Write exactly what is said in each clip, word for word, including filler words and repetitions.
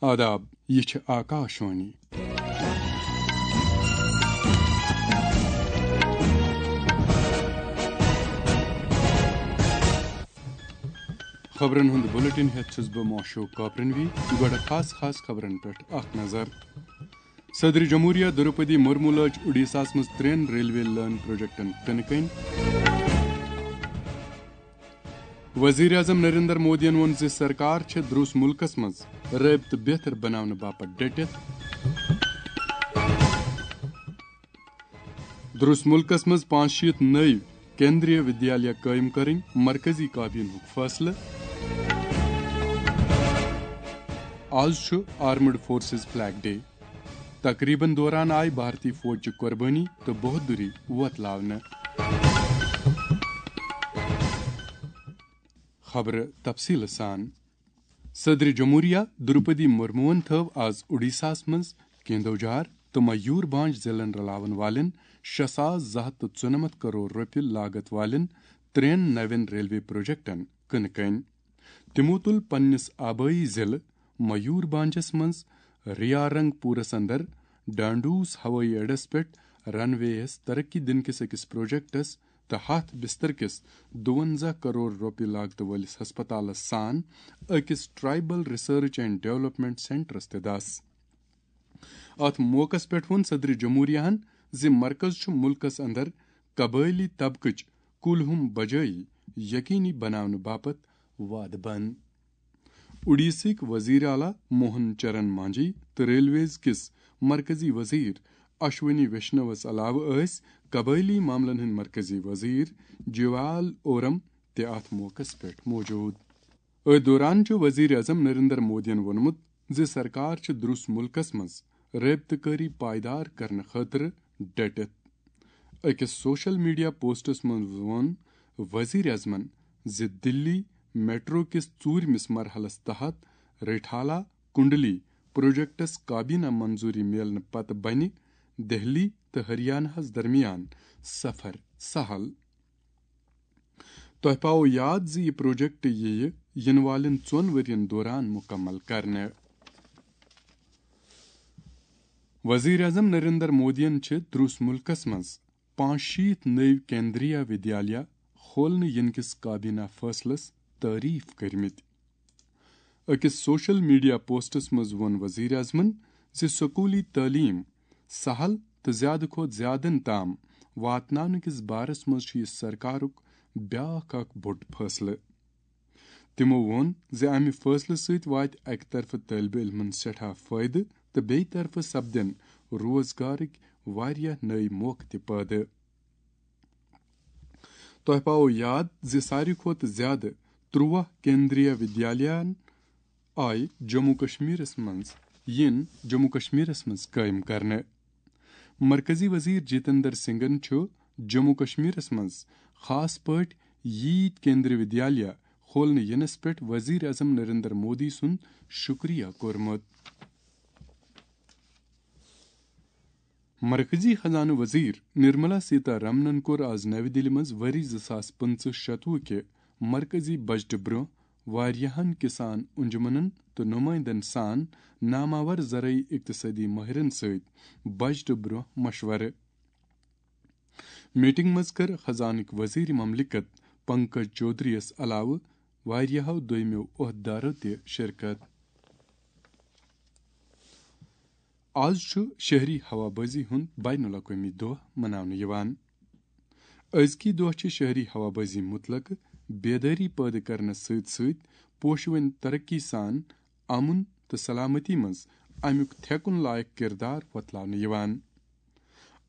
آداب، یہِ چھِ آکاشوانی۔ خبرن ہُنٛد بلیٹن ہٮ۪تھ چھُس بہٕ معشوق کاپرنوی۔ گۄڈٕ خاص خاص خبرن پٮ۪ٹھ اکھ نظر۔ صدر جمہوریہ دروپدی مرمو لٲج اڈیساہس منٛز ترٛٮ۪ن ریلوے لٲن پروجیکٹن کٕنہٕ کٔنۍ۔ وزیر اعظم نریندر مودیَن ووٚن زِ سرکار چھےٚ درٛوس مُلکَس منٛز رٲبطہٕ بہتر بناونہٕ باپتھ ڈٔٹِتھ۔ درٛوس مُلکَس منٛز پانٛژھ شیٖتھ نٔوۍ کیندریہ ودیالیہ قٲیِم کٔرٕنۍ، مرکزی کابینہُک فٲصلہٕ۔ آز چھُ آرمڈ فورسز فلیگ ڈے۔ تقریبن دوران آیہِ بھارتی فوج چہِ قربٲنی تہٕ بہادری وۄتلاونہٕ۔ خبرٕ تفصیٖلہٕ سان۔ صدر جمہوریہ دروپدی مرموہن تھٲو آز اوڈیشاہس منٛز کیندوجھار تہٕ میور بھانج ضلعن رلاون والٮ۪ن شےٚ ساس زٕ ہتھ تہٕ ژُنمتھ کرور رۄپیہِ لاگت والٮ۪ن ترٛٮ۪ن نوٮ۪ن ریلوے پروجیکٹن کٕنہٕ کٔنۍ۔ تِمو تُل پننِس آبٲیی ضلعہٕ میور بھانجس منٛز ریارنگ پورس اندر ڈانڈوس ہوٲیی اڈس پٮ۪ٹھ رن وے یَس ترقی دِنہٕ کِس أکِس پروجیکٹس تہٕ ہتھ بستر کِس دُوَنزاہ کرور رۄپیہِ لاگتہٕ وٲلِس ہسپتالس سان أکِس ٹرائبل ریسرچ اینڈ ڈیولپمنٹ سینٹرس تہِ دس۔ اتھ موقعس پٮ۪ٹھ ووٚن صدر جمہوریہن زِ مرکز چھُ مُلکس اندر قبٲئلی طبقٕچ کُلہُم بجٲیی یقینی بناونہٕ باپتھ وعدٕ بنٛد۔ اوڈیشہٕکۍ وزیر اعلیٰ موہن چرن مانجھی تہٕ ریلویز کِس مرکزی وزیر اشونی ویشنوَس علاوٕ ٲسۍ قبٲئلی معاملن ہٕنٛدۍ مرکزی وزیر جیوال اورم تہِ اتھ موقعس پٮ۪ٹھ موجود۔ أتھۍ دوران چھُ وزیر اعظم نریندر مودیَن ووٚنمُت زِ سرکار چھِ درٛوس مُلکَس منٛز رٲبطہٕ کٲری پائیدار کرنہٕ خٲطرٕ ڈٔٹِتھ۔ أکِس سوشل میڈیا پوسٹَس منٛز ووٚن وزیر اعظمَن زِ دِلی میٹرو کِس ژوٗرمِس مرحلَس تحت ریٹھالہ کنڈلی پروجیکٹَس کابینہ منظوٗری میلنہٕ پتہٕ بنہِ دہلی تہٕ ہریانہَس درمیان سفر سہل۔ تۄہہِ پاوو یاد زِ یہِ پروجیکٹ یِیہِ یِنہٕ والٮ۪ن ژۄن ؤرین دوران مُکمل کرنہٕ۔ وزیر اعظم نریندر مودیَن چھِ درٛوس مُلکَس منٛز پانٛژھ شیٖتھ نٔوۍ کیندریہ ودیالیہ کھولنہٕ یِنہٕ کِس کابینہ فٲصلَس تعریف کٔرمٕتۍ۔ أکِس سوشل میڈیا پوسٹَس منٛز ووٚن وزیر اعظمَن زِ سکوٗلی تعلیٖم سہل تہٕ زیادٕ کھۄتہٕ زیادٕ تام واتناونہٕ کِس بارَس منٛز چھُ یہِ سرکارُک بیٛاکھ اکھ بوٚڑ فٲصلہٕ۔ تِمَو ووٚن زِ اَمہِ فٲصلہٕ سۭتۍ واتہِ اَکہِ طرفہٕ طٲلبہِ علمَن سٮ۪ٹھاہ فٲیدٕ تہٕ بیٚیہِ طرفہٕ سپدن روزگارٕکۍ واریاہ نٔوۍ موقعہٕ تہِ پٲدٕ۔ تۄہہِ پاوو یاد زِ ساروی کھۄتہٕ زیادٕ تُرٛواہ کیندریہ ودیالیہن آیہِ جموں کشمیرس منٛز، یِن جموں کشمیرس منٛز قٲیِم کرنہٕ۔ مرکزی وزیر جتندر سنگھن چھُ جموں کشمیرس منٛز خاص پٲٹھۍ ییٖتۍ کیندریہ ودیالیہ کھولنہٕ یِنس پٮ۪ٹھ وزیر اعظم نریندر مودی سُنٛد شُکریہ کوٚرمُت۔ مرکزی خزانہٕ وزیر نرملا سیتا رمنن کوٚر آز نَوِ دِلہِ منٛز ؤری زٕ ساس پٕنٛژٕہ شتوُہ کہِ مرکزی بجٹہٕ برٛونٛہہ واریاہن کسان انجمنن تہٕ نمائندن سان ناماور زرعی اقتصٲدی مٲہرن سۭتۍ بجٹہٕ برٛونٛہہ مشورٕ۔ میٹنگ منٛز کٔر خزانٕکۍ وزیر مملکت پنکج چودھری یَس علاوٕ واریاہو دوٚیمٮ۪و عہدٕدارو تہِ شرکت۔ آز چھُ شہری ہوابازی ہُنٛد بین الاقوٲمی دۄہ مناونہٕ یِوان۔ أزکی دۄہ چھِ شہری ہوابازی متعلق بیدٲری پٲدٕ کرنس سۭتۍ سۭتۍ پوشوٕنۍ ترقی سان امن تہٕ سلامتی منٛز امیُک تھیکُن لایق کردار وۄتلاونہٕ یِوان۔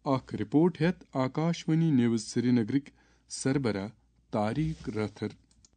اکھ رپورٹ ہیتھ آکاشوانی نیوز سرینگرٕکۍ سربراہ طاریق رٲتھر۔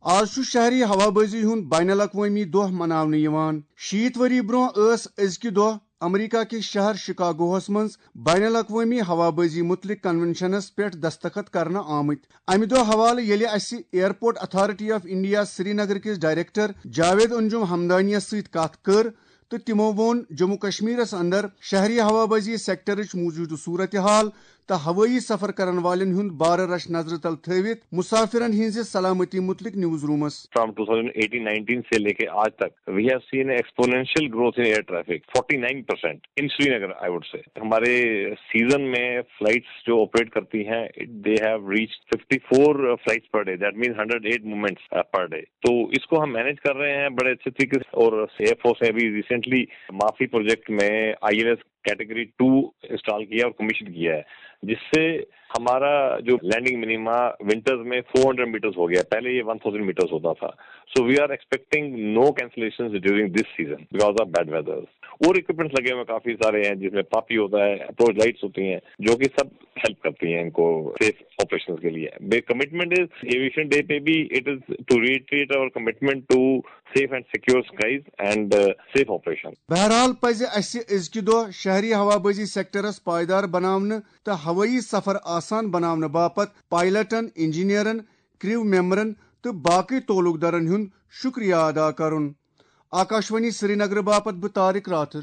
آز چھُ شہری ہوابازی ہُنٛد بین الاقوٲمی دۄہ مناونہٕ یِوان۔ شیٖتھ ؤری برٛونٛہہ ٲس أزکہِ دۄہ امریکہ کِس شہر شکاگوہس منٛز بین الاقوٲمی ہوابازی متعلق کنونشنس پٮ۪ٹھ دستخط کرنہٕ آمٕتۍ۔ امہِ دۄہ حوالہٕ ییٚلہِ اسہِ airport authority of India Srinagar کِس ڈائریکٹر جاوید انجم ہمدانیَس سۭتۍ کتھ کٔر، تہٕ تِمو ووٚن جموں کشمیرس اندر شہری ہوابازی سیکٹرٕچ موجودٕ صورتحال تہٕ ہوٲیی سفر کرن والٮ۪ن ہُنٛد بارٕ رش نظرِ تل تھٲوِتھ مسافرن ہٕنٛزِ سلامتی متعلق news rooms. From two thousand eighteen nineteen سے لے کے آج تک we have seen exponential growth in air traffic, forty nine percent in Srinagar, I would say. ہمارے سیزن میں فلائٹس جو آپریٹ کرتی ہیں, they have reached fifty four flights per day, that means hundred eight movements per day. To S co Hum manage کر رہے ہیں بڑے اچھے طریقے سے. اور ایئر فورس نے ابھی ریسنٹلی مافی پروجیکٹ میں I L S category two install کیا اور کمیشن کیا ہے, جس سے ہمارا جو لینڈنگ منیما ونٹرز میں فور ہنڈریڈ میٹرز ہو گیا. پہلے یہ ون تھاؤزینڈ میٹرز ہوتا تھا. So we are expecting no cancellations during this season because of bad weather. اور اکوپمنٹس لگے ہوئے کافی سارے ہیں, جس میں پاپی ہوتا ہے, اپروچ لائٹس ہوتی ہیں, جو کہ سب ہیلپ کرتی ہیں ان کو سیف آپریشن کے لیے. کمٹمنٹ از ایویشن ڈے پہ بھی, it is to reiterate our commitment to safe and secure skies and safe operation. بہرحال پزِ اسہِ أزکہِ دۄہ شہری ہوابازی سیکٹرس پائیدار بناونہٕ تہٕ ہوٲیی سفر آسان بناونہٕ باپتھ پائلٹن، انجینئرن، کریو ممبرن تہٕ باقی تعلق دارن ہُنٛد شکریہ ادا کرُن۔ آکاشوانی سرینگر باپتھ بہٕ طارق راتھر۔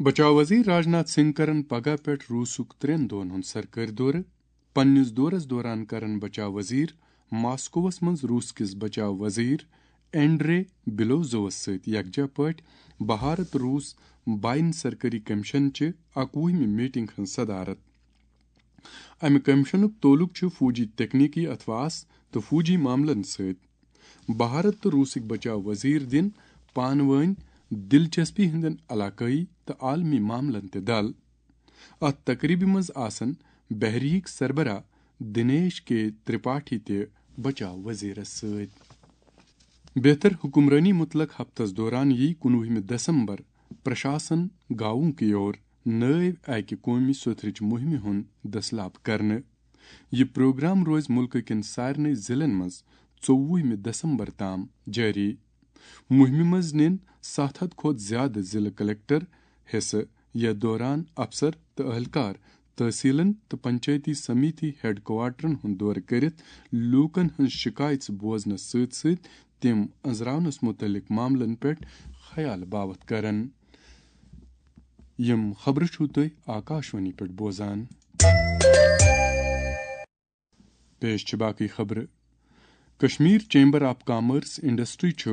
بچاو وزیر راجناتھ سنگھ کرن پگاہ پٮ۪ٹھ روسُک ترٛٮ۪ن دۄہن ہُنٛد سرکٲرۍ دورٕ۔ پننِس دورس دوران کرن بچاو وزیر ماسکووس منٛز روس کِس بچاو وزیر اینڈرے بلوزووس سۭتۍ یکجا پٲٹھۍ بھارت روس بین سرکٲری کمیشن چہِ اکوُہمہِ میٹنگ ہٕنٛز صدارت۔ امہِ کمیشنُک تعلق چھُ فوجی تکنیکی اثاثہٕ تہٕ فوجی معاملن سۭتۍ۔ بھارت تہٕ روسٕکۍ بچاو وزیر دِن پانہٕ وٲنۍ دلچسپی ہٕنٛدٮ۪ن علاقٲیی تہٕ عالمی معاملن تہِ دل۔ اتھ تقریبہِ منٛز آسن بحریہٕکۍ سربراہ دنیش کے ترپاٹھی تہِ بچاو وزیرس سۭتۍ۔ بہتر حکمرٲنی متعلق ہفتس دوران یی کُنوُہمہِ دسمبر پرشاسن گاؤں کی اور نٲوۍ اکہِ قومی سوٚتھرٕچ مُہمہِ ہُنٛد دٔسلاب کرنہٕ۔ یہِ پروگرام روزِ مُلکہٕ کٮ۪ن سارنٕے ضلعن منٛز ژوٚوُہمہِ دسمبر تام جٲری۔ مُہمہِ منٛز نِن ستھ ہتھ کھۄتہٕ زیادٕ ضلعہٕ کلکٹر حصہٕ۔ یتھ دوران افسر تہٕ اہلکار تحصیلن تہٕ پنچایتی سمیتی ہیڈ کوارٹرن ہُنٛد دورٕ کٔرِتھ لوٗکن ہٕنٛز شکایژٕ بوزنس سۭتۍ سۭتۍ تِم أنٛزراونس مُتعلق معاملن پٮ۪ٹھ خیال باوتھ کرن۔ یِم خبرٕ چھِو تُہۍ آکاشوانی پٮ۪ٹھ بوزان۔ پیش چھِ باقٕے خبرٕ۔ Kashmir chamber of commerce industry چھُ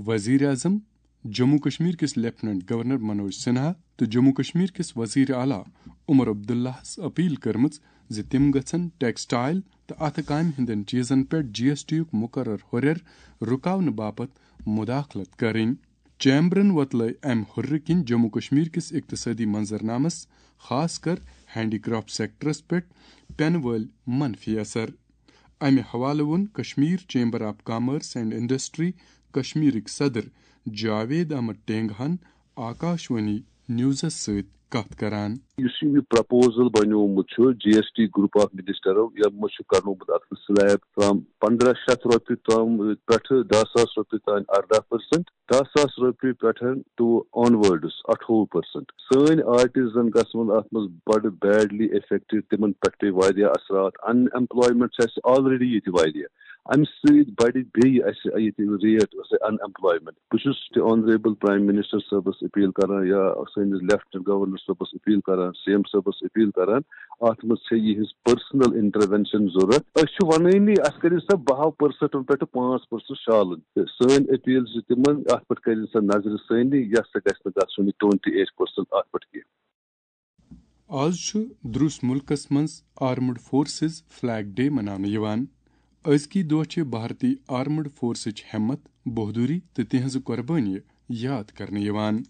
وزیر اعظم، جموں کشمیر کِس لیفٹیننٹ گورنر منوج سنہا تہٕ جموں کشمیر کِس وزیر اعلیٰ عمر عبداللہَس اپیل کٔرمٕژ زِ تِم گژھن ٹیکسٹائل تہٕ اتھٕ کامہِ ہٕنٛدٮ۪ن چیزن پٮ۪ٹھ جی ایس ٹی یُک مقرر ہُرٮ۪ر رُکاونہٕ باپتھ مداخلت کرٕنۍ۔ چیمبرن وۄتلٲے امہِ ہُررٕ کِنۍ جموں کشمیر کِس اقتصٲدی منظرنامس، خاص کر ہینڈی کرافٹ سیکٹرس پٮ۪ٹھ پینہٕ وٲلۍ منفی اثر۔ امہِ حوالہٕ ووٚن Kashmir chamber of commerce and industry کشمیرٕکۍ صدر جاوید احمد ٹینگہن آکاشوانی نیوزس سۭتۍ کتھ کران۔ یُس یہِ پرپوزل بنیومُت چھُ جی ایس ٹی گروپ آف منسٹرو، یِمو چھُ کرنومُت اتھ سلیب فرام پندرہ شیٚتھ رۄپیہِ تام پٮ۪ٹھٕ دہ ساس رۄپیہِ تام اردہ پرسنٹ، دہ ساس رۄپیہِ پٮ۪ٹھ ٹو آن ورڈس اٹھووُہ پرسنٹ۔ سٲنۍ آرٹسن گژھن اتھ منٛز بڑٕ بیڈلی افیکٹڈ، تِمن پٮ۪ٹھ پیٚیہِ واریاہ اثرات۔ ان ایمپلایمنٹ چھِ اسہِ آلریڈی ییٚتہِ واریاہ، امہِ سۭتۍ بڑِ بیٚیہِ اسہِ ییٚتہِ ریٹ ان ایمپلایمنٹ۔ بہٕ چھُس تہِ آنریبل پرایم منسٹر صٲبس اپیل کران یا سٲنِس لیفٹیننٹ گورنر صٲبس اپیل کران، سی ایم صٲبس اپیل کران، اتھ منٛز چھےٚ یِہنٛز پرسنل انٹروینشن ضروٗرت۔ أسۍ چھِ ونٲنی اسہِ کٔرِو سا بہہ پرسنٹ پٮ۪ٹھ پانٛژھ پرسنٹ شالن۔ تہٕ سٲنۍ اپیل چھِ تِمن، اتھ پٮ۪ٹھ کٔرِو سا نظرِ سٲنی، یس سا گژھِ نہٕ گژھُن یہِ ٹُوینٹی ایٹ پرسنٹ اتھ پٮ۪ٹھ کینٛہہ۔ آز چھُ درُس مُلکس منٛز آرمڈ فورسز فلیگ ڈے مناونہٕ یِوان۔ أزکی دۄہ چھِ بھارتی آرمڈ فورسٕچ ہمت، بہادری تہٕ تِہنٛزٕ قۄربٲنی یاد کرنہٕ یِوان۔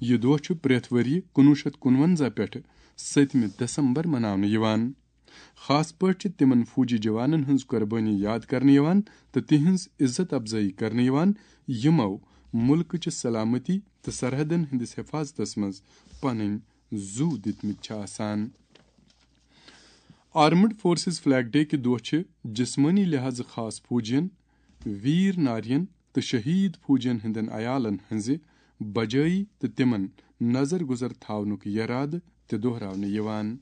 یہِ دۄہ چھُ پرٛٮ۪تھ ؤرۍ یہِ کُنوُہ شیٚتھ کُنونزہ پٮ۪ٹھٕ سٔتمہِ دسمبر مناونہٕ یِوان۔ خاص پٲٹھۍ چھِ تِمن فوجی جوانن ہٕنٛز قۄربٲنی یاد کرنہٕ یِوان تہٕ تِہنٛز عزت افزٲیی کرنہٕ یِوان، یِمو مُلکٕچہِ سلامتی تہٕ سرحدن ہٕنٛدِس حفاظتس منٛز پنٕنۍ زُو دِتمٕتۍ چھِ آسان۔ آرمڈ فورسز فلیگ ڈے کہِ دۄہ چھِ جسمٲنی لحاظہٕ خاص فوجین، ویر نارین تہٕ شہید فوجین ہٕنٛدٮ۪ن عیالن ہٕنٛزِ بجٲیی تہٕ تِمن نظر گُزر تھاونُک یرادٕ تہِ دۄہراونہٕ یِوان۔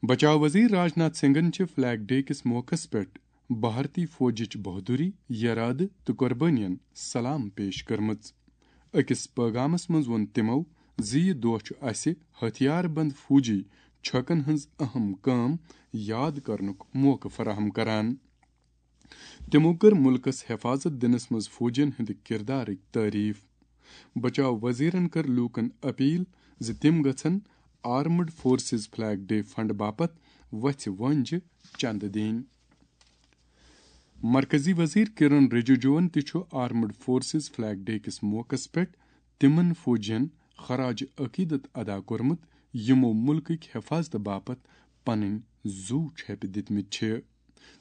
بچاو وزیر راجناتھ سنگھن چھِ فلیگ ڈے کِس موقعس پٮ۪ٹھ بھارتی فوجٕچ بہادری، یرادٕ تہٕ قۄربٲنین سلام پیش کٔرمٕژ۔ أکِس پٲغامس منٛز ووٚن تِمو زِ یہِ دۄہ چھُ اسہِ ہتھیار بند فوجی چھکن ہٕنٛز اہم کٲم یاد کرنُک موقعہٕ فراہم کران۔ تِمو کٔر مُلکس حفاظت دِنس منٛز فوجین ہٕنٛدِ کردارٕچ تعریف۔ بچاو وزیرن کٔر لوٗکن اپیل زِ تِم گژھن armed forces flag day fund باپتھ وژھِ وٲنجہِ چندٕ دِنۍ۔ مرکزی وزیر کرن رجیجوَن تہِ چھُ آرمڈ فورسز فلیگ ڈے کِس موقعس پٮ۪ٹھ تِمن فوجین خراج عقیدت ادا کوٚرمُت، یِمو مُلکٕکۍ حفاظتہٕ باپتھ پنٕنۍ زُو چھۄپہِ دِتمٕتۍ چھِ۔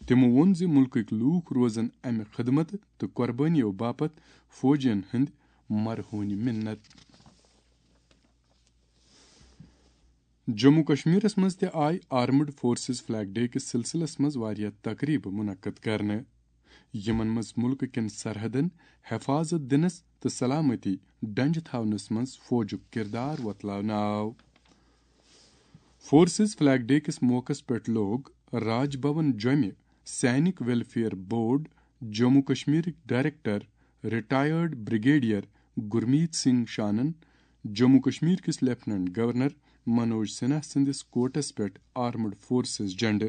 تِمو ووٚن زِ مُلکٕکۍ لوٗکھ روزن امہِ خدمتہٕ تہٕ قۄربٲنیو باپتھ فوجین ہٕنٛدۍ مرہونہِ مِنت۔ جموں کشمیرس منٛز تہِ آیہِ آرمڈ فورسز فلیگ ڈے کِس سلسلس منٛز واریاہ تقریبہٕ منعقد کرنہٕ، یِمن منٛز مُلکہٕ کٮ۪ن سرحدن حفاظت دِنس تہٕ سلامتی ڈنجہِ تھاونس منٛز فوجُک کردار وۄتلاونہٕ آو۔ فورسز فلیگ ڈے کِس موقعس پٮ۪ٹھ لوگ راج بھون جوٚمہِ سینک ویلفیئر بورڈ جموں کشمیرٕکۍ director retired brigadier Gurmeet Singh شانن جموں کشمیر کِس لیفٹیننٹ گورنر منوج سنہا سٕنٛدِس کوٹس پٮ۪ٹھ آرمڈ فورسز جھنڈٕ۔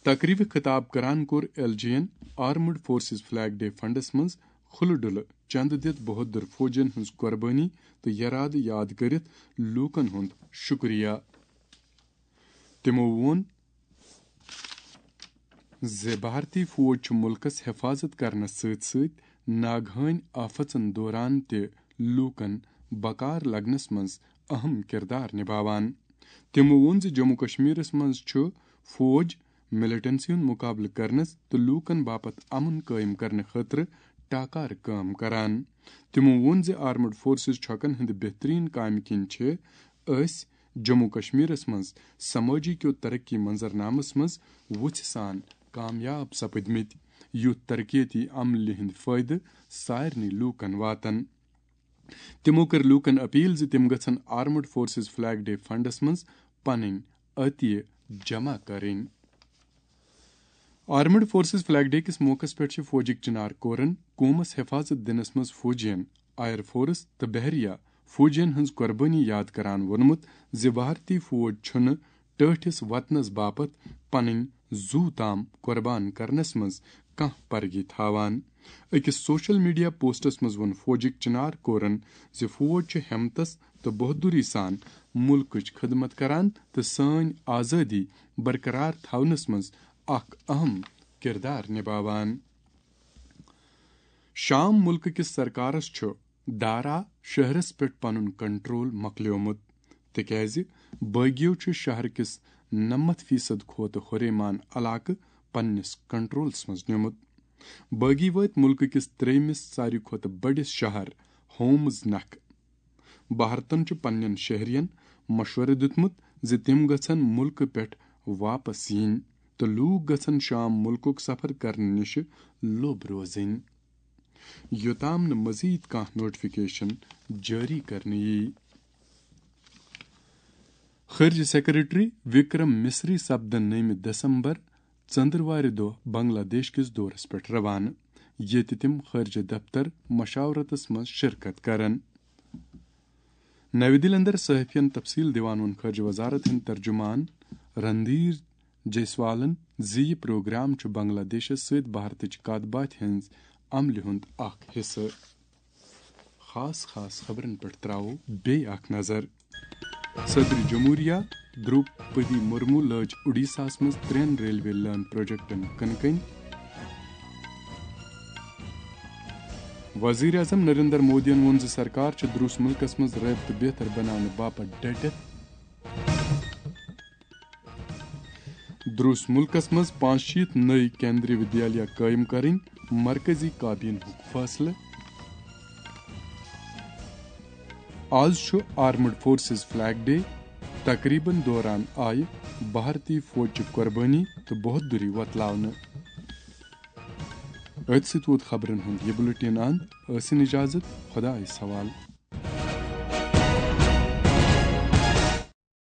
تقریبہِ خطاب کران کوٚر ایل جی یَن armed forces flag day funds منٛز کھُلہٕ ڈُلہٕ چندٕ دِتھ بہادر فوجین ہٕنٛز قۄربٲنی تہٕ یرادٕ یاد کٔرِتھ لوٗکن ہُنٛد شُکریہ۔ تِمو ووٚن زِ بھارتی فوج چھُ مُلکس حفاظت کرنس سۭتۍ سۭتۍ ناگہٲنۍ آفژن دوران تہِ لوٗکن بکار لگنس منٛز اہم کردار نبھاوان۔ تِمو ووٚن زِ جموں کشمیرس منٛز چھُ فوج ملیٹنسی ہُنٛد مُقابلہٕ کرنس تہٕ لوٗکن باپتھ امن قٲیِم کرنہٕ خٲطرٕ ٹاکار کٲم کران۔ تِمو ووٚن زِ آرمڈ فورسز چھۄکن ہٕنٛدِ بہترین کامہِ کِنۍ چھِ أسۍ جموں کشمیرس منٛز سمٲجی کیو ترقی منظرنامس منٛز وُژھِ سان کامیاب سپدمٕتۍ۔ یُتھ ترقیتی عملہِ ہٕنٛدۍ فٲیدٕ سارنٕے لوٗکن واتن۔ تِمو کٔر لوٗکن اپیل زِ تِم گژھن armed forces flag day funds منٛز پنٕنۍ عطیہ جمع کرٕنۍ۔ آرمڈ فورسز فلیگ ڈے کِس موقعس پٮ۪ٹھ چھِ فوجٕکۍ چنار کورن قومس حفاظت دِنس منٛز فوجین، ایئر فورس تہٕ بحریہ فوجین ہٕنٛز قۄربٲنی یاد کران ووٚنمُت زِ بھارتی فوج چھُنہٕ ٹٲٹھِس وطنس باپتھ پنٕنۍ زُو تام قۄربان کرنس منٛز کانٛہہ پرگی تھاوان۔ أکِس سوشل میڈیا پوسٹس منٛز ووٚن فوجٕکۍ چنار کورن زِ فوج چھُ ہمتس تہٕ بہادری سان مُلکٕچ خدمت کران تہٕ سٲنۍ آزٲدی برقرار تھاونس منٛز اکھ اہم کردار نبھاوان۔ شام مُلکہٕ کِس سرکارس چھُ دارا شہرس پٮ۪ٹھ پنُن کنٹرول مۄکلیومُت، تِکیازِ بٲغیو چھُ شہر کِس نَمَتھ فیصد کھۄتہٕ ہُریمان علاقہٕ پننِس کنٹرولس منٛز نیومُت۔ بٲغی وٲتۍ مُلکہٕ کِس ترٛیٚیمِس ساروی کھۄتہٕ بٔڑِس شہر ہومز نکھٕ۔ بھارتن چھُ پننٮ۪ن شہرین مشورٕ دیُتمُت زِ تِم گژھن مُلکہٕ پٮ۪ٹھ واپس یِنۍ تہٕ لوٗکھ گژھن شام مُلکُک سفر کرنہٕ نِش لوٚب روزٕنۍ، یوٚتام نہٕ مزید کانٛہہ نوٹیفکیشن جٲری کرنہٕ یِیہِ۔ خارجہ سیکرٹری وکرم مصری سپدن نٔیمہِ دسمبر ژندروارِ دۄہ بنگلہ دیش کِس دورس پٮ۪ٹھ روانہٕ، ییٚتہِ تِم خارجہ دفتر مشاورتس منٛز شرکت کرن۔ نَوِ دِلہِ اندر صحافین تفصیل دِوان ووٚن خارجہ وزارت ہٕنٛدۍ ترجمان رندھیر جیسوالن زِ یہِ پروگرام چھُ بنگلہ دیشس سۭتۍ بھارتٕچ کتھ باتھِ ہٕنٛز عملہِ ہُنٛد اکھ حصہٕ۔ خاص خاص خبرن پٮ۪ٹھ تراوو بیٚیہِ اکھ نظر۔ صدر جمہوریہ دروپدی مرمو لٲج اُڈیساہس منٛز ترٛٮ۪ن ریلوے لٲن پروجیکٹن کٕنہٕ کٔنۍ۔ وزیر اعظم نریندر مودیَن ووٚن زِ سرکار چھِ دروس مُلکَس منٛز رٲبطہٕ بہتر بناونہٕ باپتھ ڈٹِتھ۔ دروس مُلکَس منٛز پانٛژھ شیٖتھ نٔوۍ کیندری ودیالیہ قٲیِم کرٕنۍ، مرکزی کابینہُک فٲصلہٕ۔ آز چھُ آرمڈ فورسز فلیگ ڈے۔ تقریبن دوران آیہِ بھارتی فوجچہِ قۄربٲنی تہٕ بہادری وۄتلاونہٕ۔ أتھۍ سۭتۍ ووت خبرن ہُنٛد یہِ بُلٹن اند۔ ٲسِن اجازت، خدایس حوالہٕ۔